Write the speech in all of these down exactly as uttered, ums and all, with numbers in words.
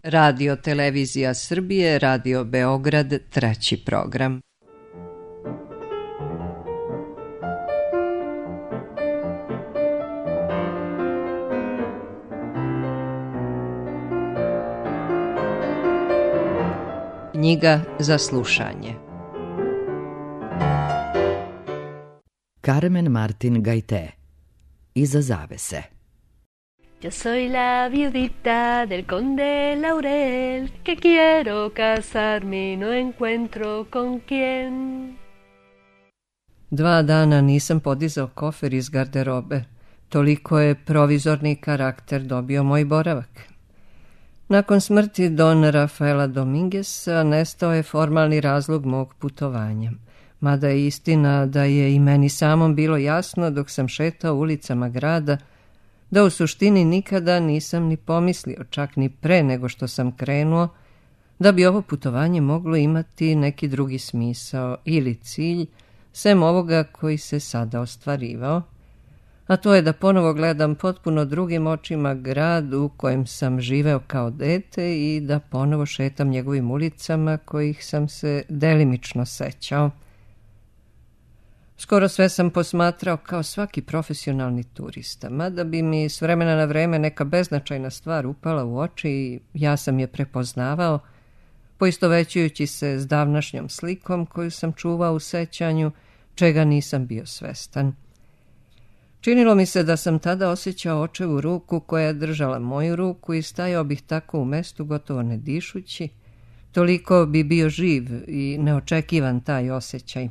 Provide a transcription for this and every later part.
Radio Televizija Srbije, Radio Beograd, treći program. Knjiga za slušanje. Carmen Martin Gaité. Iza zavese. Yo soy la viudita del conde Laurel, que quiero casarme y no encuentro con quién. Dva dana nisam podizao kofer iz garderobe. Toliko je provizorni karakter dobio moj boravak. Nakon smrti Don Rafaela Domingueza nestao je formalni razlog mog putovanja. Mada je istina da je i meni samom bilo jasno dok sam šetao ulicama grada da u suštini nikada nisam ni pomislio, čak ni pre nego što sam krenuo, da bi ovo putovanje moglo imati neki drugi smisao ili cilj, sem ovoga koji se sada ostvarivao, a to je da ponovo gledam potpuno drugim očima grad u kojem sam živeo kao dete i da ponovo šetam njegovim ulicama kojih sam se delimično sećao. Skoro sve sam posmatrao kao svaki profesionalni turista, mada bi mi s vremena na vreme neka beznačajna stvar upala u oči i ja sam je prepoznavao, poistovećujući se s davnašnjom slikom koju sam čuvao u sećanju, čega nisam bio svestan. Činilo mi se da sam tada osjećao očevu ruku koja je držala moju ruku i stajao bih tako u mestu gotovo ne dišući, toliko bi bio živ i neočekivan taj osjećaj.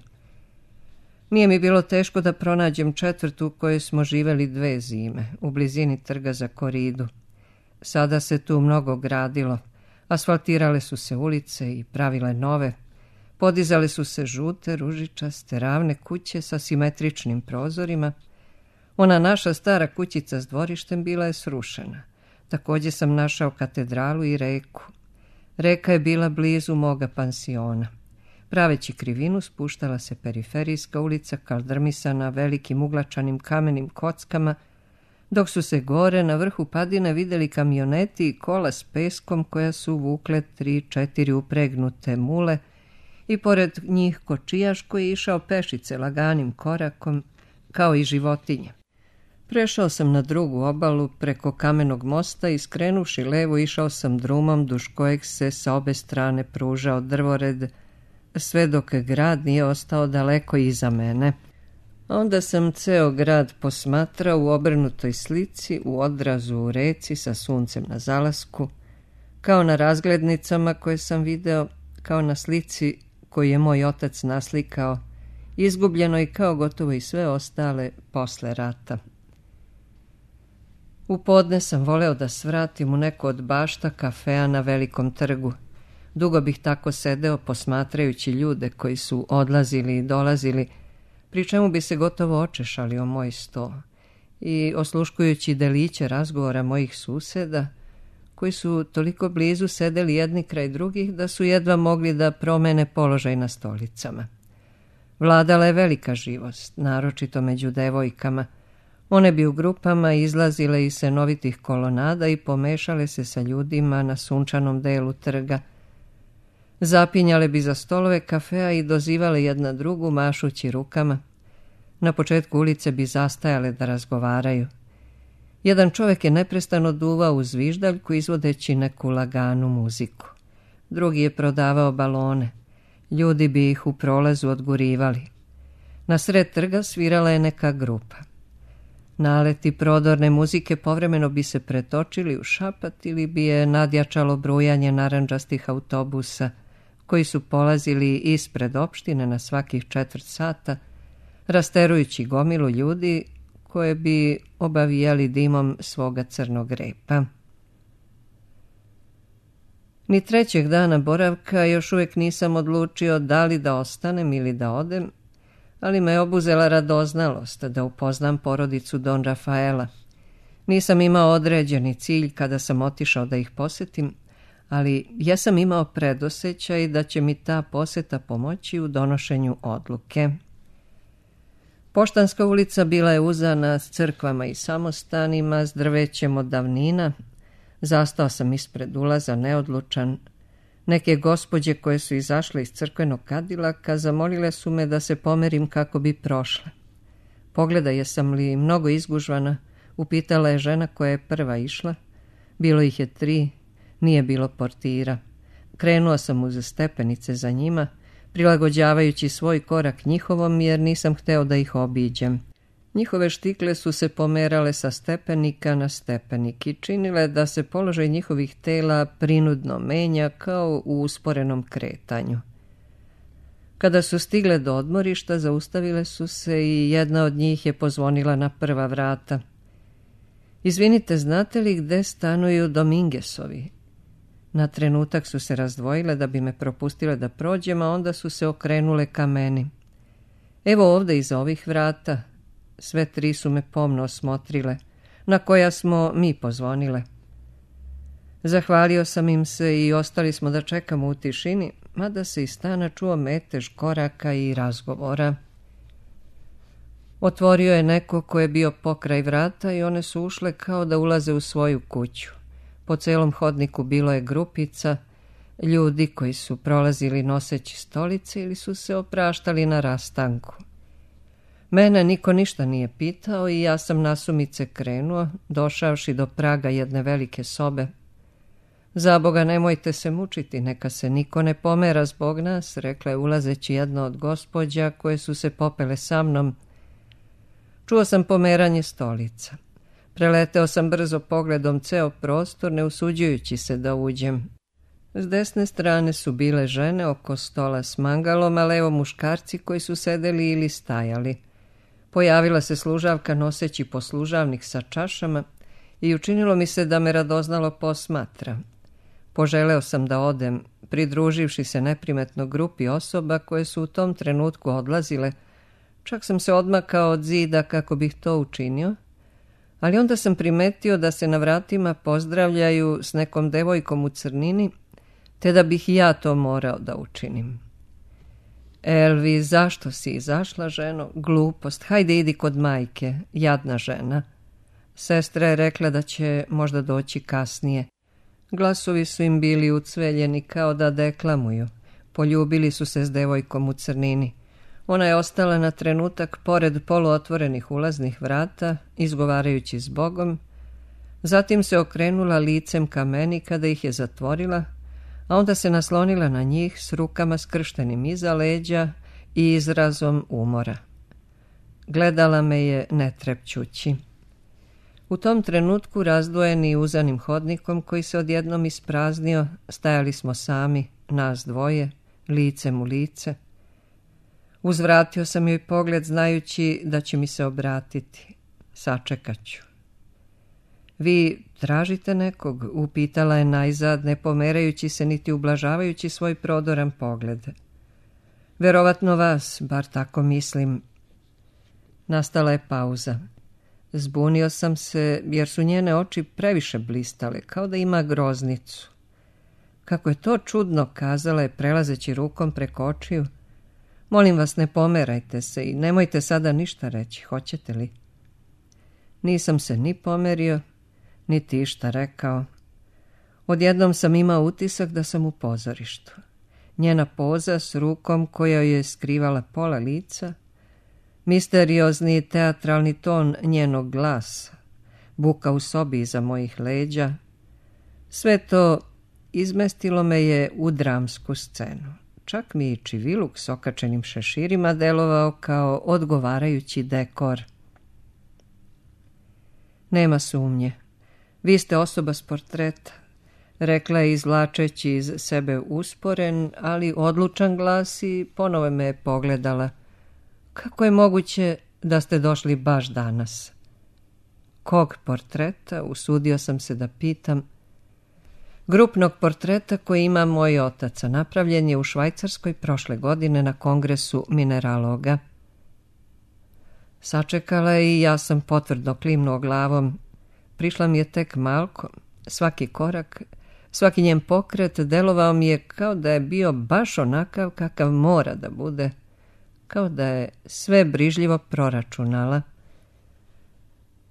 Nije mi bilo teško da pronađem četvrtu u kojoj smo živeli dve zime, u blizini trga za Koridu. Sada se tu mnogo gradilo, asfaltirale su se ulice i pravile nove, podizale su se žute, ružičaste, ravne kuće sa simetričnim prozorima. Ona naša stara kućica s dvorištem bila je srušena. Također sam našao katedralu i reku. Reka je bila blizu moga pansiona. Praveći krivinu spuštala se periferijska ulica kaldrmisana velikim uglačanim kamenim kockama, dok su se gore na vrhu padine videli kamioneti i kola s peskom koja su vukle tri, četiri upregnute mule i pored njih kočijaš koji je išao pešice laganim korakom kao i životinje. Prešao sam na drugu obalu preko kamenog mosta i skrenuši levo išao sam drumom duž kojeg se sa obe strane pružao drvored, sve dok grad nije ostao daleko iza mene. Onda sam ceo grad posmatrao u obrnutoj slici, u odrazu u reci sa suncem na zalasku, kao na razglednicama koje sam video, kao na slici koju je moj otac naslikao, izgubljeno i kao gotovo i sve ostale posle rata. U podne sam voleo da svratim u neko od bašta kafea na Velikom trgu. Dugo bih tako sedeo posmatrajući ljude koji su odlazili i dolazili, pri čemu bi se gotovo očešali o moj sto i osluškujući deliće razgovora mojih suseda, koji su toliko blizu sedeli jedni kraj drugih da su jedva mogli da promene položaj na stolicama. Vladala je velika živost, naročito među devojkama. One bi u grupama izlazile iz senovitih kolonada i pomešale se sa ljudima na sunčanom delu trga. Zapinjale bi za stolove kafea i dozivale jedna drugu mašući rukama. Na početku ulice bi zastajale da razgovaraju. Jedan čovjek je neprestano duvao u zviždaljku izvodeći neku laganu muziku. Drugi je prodavao balone. Ljudi bi ih u prolazu odgurivali. Na sred trga svirala je neka grupa. Naleti prodorne muzike povremeno bi se pretočili u šapat ili bi je nadjačalo brujanje narandžastih autobusa koji su polazili ispred opštine na svakih četvrt sata, rasterujući gomilu ljudi koje bi obavijali dimom svoga crnog repa. Ni trećeg dana boravka još uvijek nisam odlučio da li da ostanem ili da odem, ali me obuzela radoznalost da upoznam porodicu Don Rafaela. Nisam imao određeni cilj kada sam otišao da ih posetim, ali ja sam imao predosećaj da će mi ta poseta pomoći u donošenju odluke. Poštanska ulica bila je uzana s crkvama i samostanima, s drvećem od davnina, Zastao sam ispred ulaza, neodlučan. Neke gospođe koje su izašle iz crkvenog kadilaka zamolile su me da se pomerim kako bi prošle. Pogleda jesam li mnogo izgužvana, upitala je žena koja je prva išla. Bilo ih je tri, nije bilo portira. Krenuo sam uz stepenice za njima, prilagođavajući svoj korak njihovom jer nisam hteo da ih obiđem. Njihove štikle su se pomerale sa stepenika na stepenik i činile da se položaj njihovih tela prinudno menja kao u usporenom kretanju. Kada su stigle do odmorišta, zaustavile su se i jedna od njih je pozvonila na prva vrata. Izvinite, znate li gde stanuju Domingesovi? Na trenutak su se razdvojile da bi me propustile da prođem, a onda su se okrenule ka meni. Evo ovde iza ovih vrata. Sve tri su me pomno osmotrile, na koja smo mi pozvonile. Zahvalio sam im se i ostali smo da čekamo u tišini, mada se iz stana čuo metež koraka i razgovora. Otvorio je neko ko je bio pokraj vrata i one su ušle kao da ulaze u svoju kuću. Po celom hodniku bilo je grupica, ljudi koji su prolazili noseći stolice ili su se opraštali na rastanku. Mene niko ništa nije pitao i ja sam nasumice krenuo, došavši do praga jedne velike sobe. Zaboga, nemojte se mučiti, neka se niko ne pomera zbog nas, rekla je ulazeći jedna od gospođa koje su se popele sa mnom. Čuo sam pomeranje stolica. Preleteo sam brzo pogledom ceo prostor, ne usuđujući se da uđem. S desne strane su bile žene oko stola s mangalom, a levo muškarci koji su sedeli ili stajali. Pojavila se služavka noseći poslužavnik sa čašama i učinilo mi se da me radoznalo posmatra. Poželeo sam da odem, pridruživši se neprimetno grupi osoba koje su u tom trenutku odlazile. Čak sam se odmakao od zida kako bih to učinio, ali onda sam primetio da se na vratima pozdravljaju s nekom devojkom u crnini, te da bih i ja to morao da učinim. Elvi, zašto si izašla, ženo? Glupost, hajde idi kod majke, jadna žena. Sestra je rekla da će možda doći kasnije. Glasovi su im bili ucveljeni kao da deklamuju. Poljubili su se s devojkom u crnini. Ona je ostala na trenutak pored poluotvorenih ulaznih vrata, izgovarajući s Bogom. Zatim se okrenula licem ka meni kada ih je zatvorila, a onda se naslonila na njih s rukama skrštenim iza leđa i izrazom umora. Gledala me je netrepćući. U tom trenutku, razdvojeni uzanim hodnikom koji se odjednom ispraznio, stajali smo sami, nas dvoje, licem u lice. Uzvratio sam joj pogled znajući da će mi se obratiti. Sačekat ću. Vi tražite nekog? Upitala je najzad, ne pomerajući se niti ublažavajući svoj prodoran pogled. Verovatno vas, bar tako mislim. Nastala je pauza. Zbunio sam se jer su njene oči previše blistale, kao da ima groznicu. Kako je to čudno, kazala je prelazeći rukom preko očiju. Molim vas, ne pomerajte se i nemojte sada ništa reći, hoćete li? Nisam se ni pomerio, niti išta rekao. Odjednom sam imao utisak da sam u pozorištu. Njena poza s rukom koja je skrivala pola lica, misteriozni teatralni ton njenog glasa, buka u sobi iza mojih leđa, sve to izmestilo me je u dramsku scenu. Čak mi i čiviluk s okačenim šeširima delovao kao odgovarajući dekor. Nema sumnje. Vi ste osoba s portreta, rekla je izvlačeći iz sebe usporen, ali odlučan glas i ponovo me je pogledala. Kako je moguće da ste došli baš danas? Kog portreta? Usudio sam se da pitam. Grupnog portreta koji ima moj otac, a napravljen je u Švajcarskoj prošle godine na kongresu mineraloga. Sačekala je i ja sam potvrdno klimnuo glavom. Prišla mi je tek malko. Svaki korak, svaki njen pokret delovao mi je kao da je bio baš onakav kakav mora da bude. Kao da je sve brižljivo proračunala.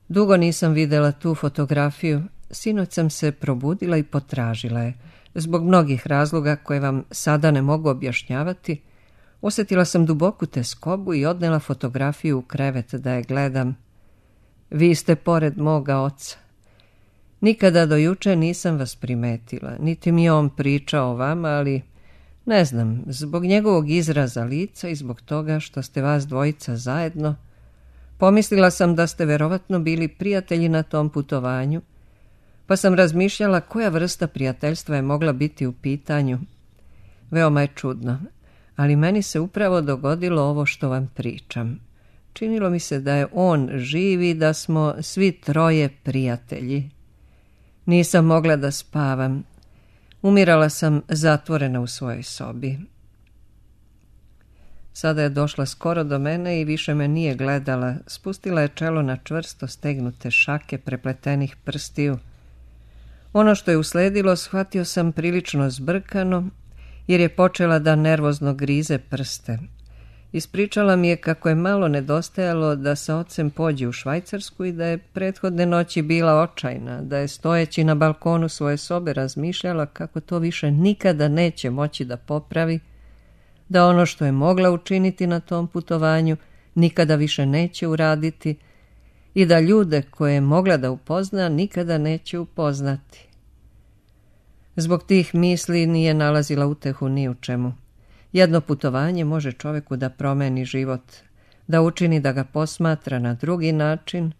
Dugo nisam videla tu fotografiju, Sinoć sam se probudila i potražila je. Zbog mnogih razloga koje vam sada ne mogu objašnjavati, osjetila sam duboku teskobu i odnela fotografiju u krevet da je gledam. Vi ste pored moga oca. Nikada do juče nisam vas primetila, niti mi je on pričao o vama, ali ne znam, zbog njegovog izraza lica i zbog toga što ste vas dvojica zajedno, pomislila sam da ste verovatno bili prijatelji na tom putovanju, pa sam razmišljala koja vrsta prijateljstva je mogla biti u pitanju. Veoma je čudno, ali meni se upravo dogodilo ovo što vam pričam. Činilo mi se da je on živ i da smo svi troje prijatelji. Nisam mogla da spavam. Umirala sam zatvorena u svojoj sobi. Sada je došla skoro do mene i više me nije gledala. Spustila je čelo na čvrsto stegnute šake prepletenih prstiju. Ono što je usledilo shvatio sam prilično zbrkano, jer je počela da nervozno grize prste. Ispričala mi je kako je malo nedostajalo da sa ocem pođe u Švajcarsku i da je prethodne noći bila očajna, da je stojeći na balkonu svoje sobe razmišljala kako to više nikada neće moći da popravi, da ono što je mogla učiniti na tom putovanju nikada više neće uraditi i da ljude koje je mogla da upozna nikada neće upoznati. Zbog tih misli nije nalazila utehu ni u čemu. Jedno putovanje može čoveku da promeni život, da učini da ga posmatra na drugi način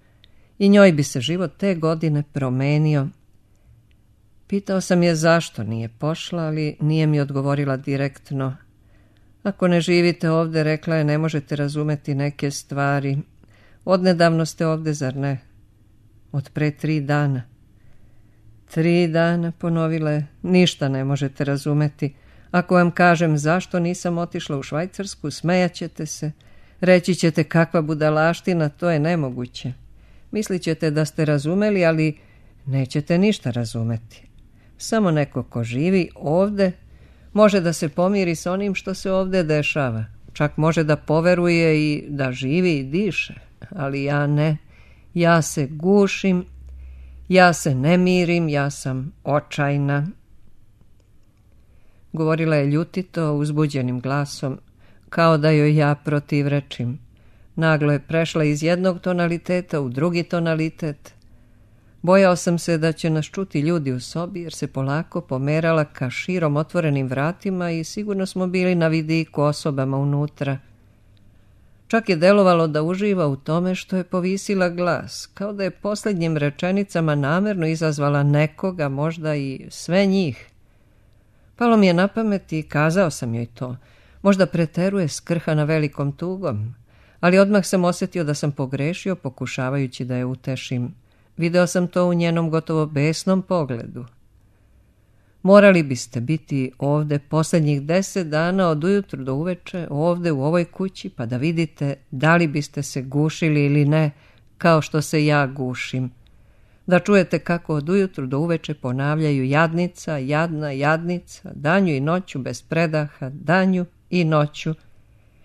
i njoj bi se život te godine promenio. Pitao sam je zašto nije pošla, ali nije mi odgovorila direktno. Ako ne živite ovde, rekla je, ne možete razumeti neke stvari. Odnedavno ste ovde, zar ne? Od pre tri dana. Tri dana, ponovila je, ništa ne možete razumeti. Ako vam kažem zašto nisam otišla u Švajcarsku, smejaćete se. Reći ćete kakva budalaština, to je nemoguće. Mislit ćete da ste razumeli, ali nećete ništa razumeti. Samo neko ko živi ovde može da se pomiri s onim što se ovde dešava. Čak može da poveruje i da živi i diše. Ali ja ne. Ja se gušim, ja se ne mirim, ja sam očajna. Govorila je ljutito, uzbuđenim glasom, kao da joj ja protivrečim. Naglo je prešla iz jednog tonaliteta u drugi tonalitet. Bojao sam se da će nas čuti ljudi u sobi, jer se polako pomerala ka širom otvorenim vratima i sigurno smo bili na vidiku osobama unutra. Čak je delovalo da uživa u tome što je povisila glas, kao da je posljednjim rečenicama namerno izazvala nekoga, možda i sve njih. Palo mi je na pamet i kazao sam joj to. Možda preteruje skrhana velikom tugom, ali odmah sam osjetio da sam pogrešio pokušavajući da je utešim. Video sam to u njenom gotovo besnom pogledu. Morali biste biti ovde posljednjih deset dana od ujutru do uveče, ovde u ovoj kući, pa da vidite da li biste se gušili ili ne, kao što se ja gušim. Da čujete kako od ujutru do uveče ponavljaju jadnica, jadna, jadnica, danju i noću bez predaha, danju i noću.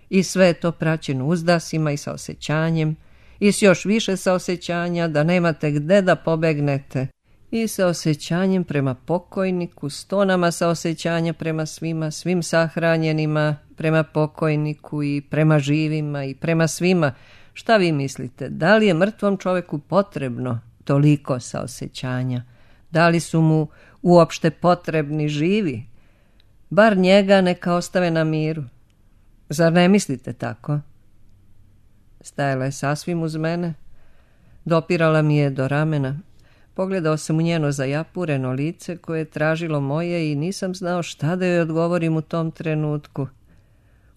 I sve je to praćeno uzdasima i saosećanjem, i s još više saosećanja da nemate gde da pobegnete, i saosećanjem prema pokojniku, s tonama saosećanja prema svima, svim sahranjenima, prema pokojniku i prema živima i prema svima. Šta vi mislite, da li je mrtvom čoveku potrebno toliko saosećanja? Da li su mu uopšte potrebni živi? Bar njega neka ostave na miru. Zar ne mislite tako? Stajala je sasvim uz mene, dopirala mi je do ramena. Pogledao sam u njeno zajapureno lice koje je tražilo moje i nisam znao šta da joj odgovorim u tom trenutku.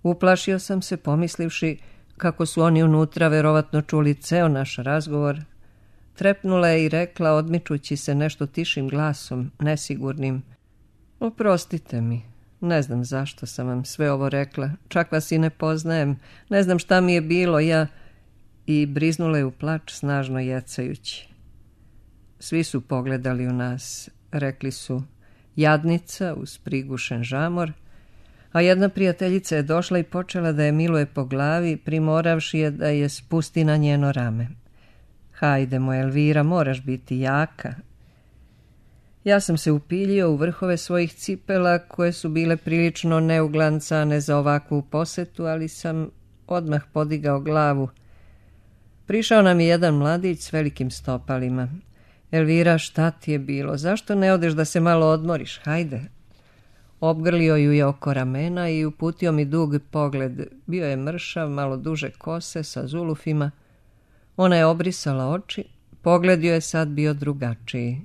Uplašio sam se pomislivši kako su oni unutra verovatno čuli ceo naš razgovor. Trepnula je i rekla, odmičući se nešto tišim glasom, nesigurnim: oprostite mi, ne znam zašto sam vam sve ovo rekla, čak vas i ne poznajem, ne znam šta mi je bilo, ja... I briznula je u plač, snažno jecajući. Svi su pogledali u nas, rekli su jadnica uz prigušen žamor, a jedna prijateljica je došla i počela da je miluje po glavi, primoravši je da je spusti na njeno rame. Hajde, moja Elvira, moraš biti jaka. Ja sam se upiljio u vrhove svojih cipela, koje su bile prilično neuglancane za ovakvu posetu, ali sam odmah podigao glavu. Prišao nam je jedan mladić s velikim stopalima. Elvira, šta ti je bilo? Zašto ne odeš da se malo odmoriš? Hajde. Obgrlio ju je oko ramena i uputio mi dug pogled. Bio je mršav, malo duže kose sa zulufima. Ona je obrisala oči. Pogled joj je sad bio drugačiji.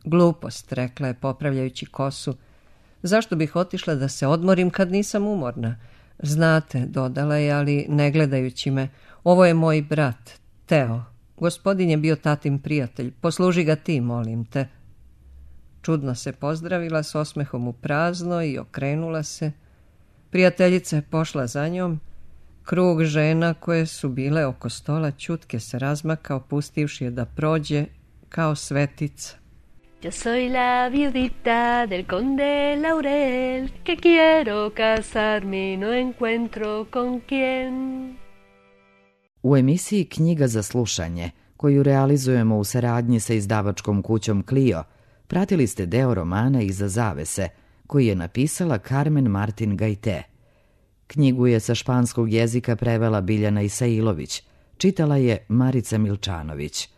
Glupost, rekla je popravljajući kosu. Zašto bih otišla da se odmorim kad nisam umorna? Znate, dodala je, ali ne gledajući me, ovo je moj brat, Teo. Gospodin je bio tatin prijatelj, posluži ga ti, molim te. Čudno se pozdravila s osmehom u prazno i okrenula se. Prijateljica je pošla za njom. Krug žena koje su bile oko stola ćutke se razmakao, pustivši je da prođe kao svetica. Yo soy la viudita del conde Laurel, que quiero casarme y no encuentro con quién. U emisiji Knjiga za slušanje, koju realizujemo u saradnji sa izdavačkom kućom Clio, pratili ste deo romana Iza zavese, koji je napisala Carmen Martin Gajte. Knjigu je sa španskog jezika prevela Biljana Isailović, čitala je Marica Milčanović.